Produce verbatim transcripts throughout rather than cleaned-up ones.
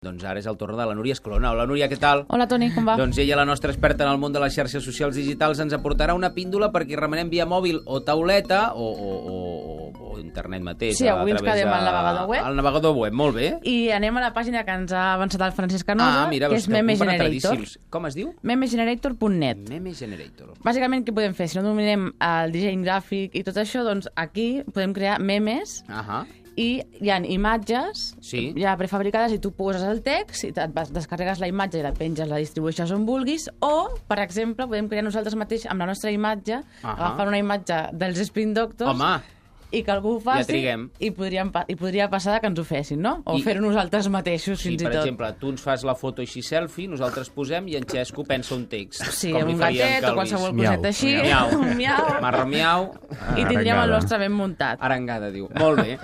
Doncs ara és el torn de la Núria Escalona. Hola, Núria, què tal? Hola, Toni, com va? Doncs ella, la nostra experta en el món de les xarxes socials digitals, ens aportarà una píndola perquè remenem via mòbil o tauleta o, o, o, o internet mateix. Sí, avui ens quedem al navegador web. Al navegador web, molt bé. I anem a la pàgina que ens ha avançat el Francesc Canosa, ah, mira, que és Meme Generator. Com es diu? memegenerator punt net. Meme Generator. Bàsicament, què podem fer? Si no dominem el disseny gràfic i tot això, doncs aquí podem crear memes. Ahà. I hi ha imatges sí. ja prefabricades i tu poses el text i et descarregues la imatge i la penges, la distribueixes on vulguis, o, per exemple, podem crear nosaltres mateix amb la nostra imatge, uh-huh. agafar una imatge dels Spin Doctors. Home! I que algú ho faci ja i, podríem, i podria passar que ens ho fessin, no? O fer-ho nosaltres mateixos, sí, fins i tot. Sí, per exemple, tu ens fas la foto així selfie, nosaltres posem i en Xesco pensa un text. Sí, amb un gatet o qualsevol coseta així. Miau. Un miau. Marra miau. I tindríem el nostre ben muntat. Arengada, diu. Molt bé.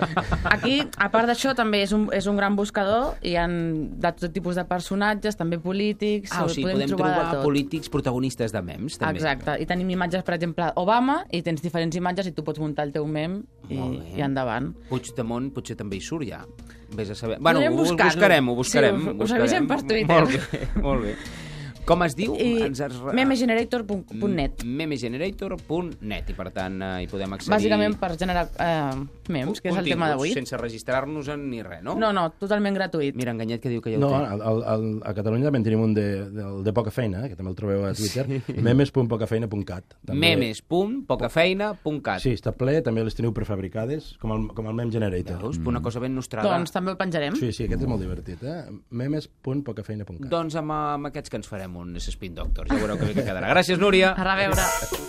Aquí, a part d'això, també és un, és un gran buscador. Hi ha de tot tipus de personatges, també polítics. Ah, o sigui, podem, podem trobar, trobar polítics protagonistes de memes, també. Exacte. I tenim imatges, per exemple, Obama, i tens diferents imatges i tu pots muntar el teu mem i, i endavant. Puigdemont potser també hi surt ja. Vés a saber. Bueno, ho buscar-ho. buscarem, ho buscarem. Sí, ho, ho avisem per Twitter. Molt bé, molt bé. Com es diu? I Ens es... memegenerator punt net. memegenerator punt net. I, per tant, eh, hi podem accedir... Bàsicament per generar eh, memes, que és el tema d'avui. Sense registrar-nos en ni res, no? No, no, totalment gratuït. Mira, Enganyet, que diu que ja ho no, té. No, al, al, a Catalunya també en tenim un de, de, de poca feina, eh, que també el trobeu a Twitter, memes punt pocafeina punt cat. memes punt pocafeina punt cat. Sí, està ple, també les teniu prefabricades, com el, com el Meme Generator. Veus? Mm. Una cosa ben nostrada. Doncs també el penjarem. Sí, sí, aquest és molt divertit, eh? memes punt pocafeina punt cat. Doncs amb, amb aquests que ens farem un Spin Doctor. Ja veureu que bé que quedarà. Gràcies, Núria. A reveure.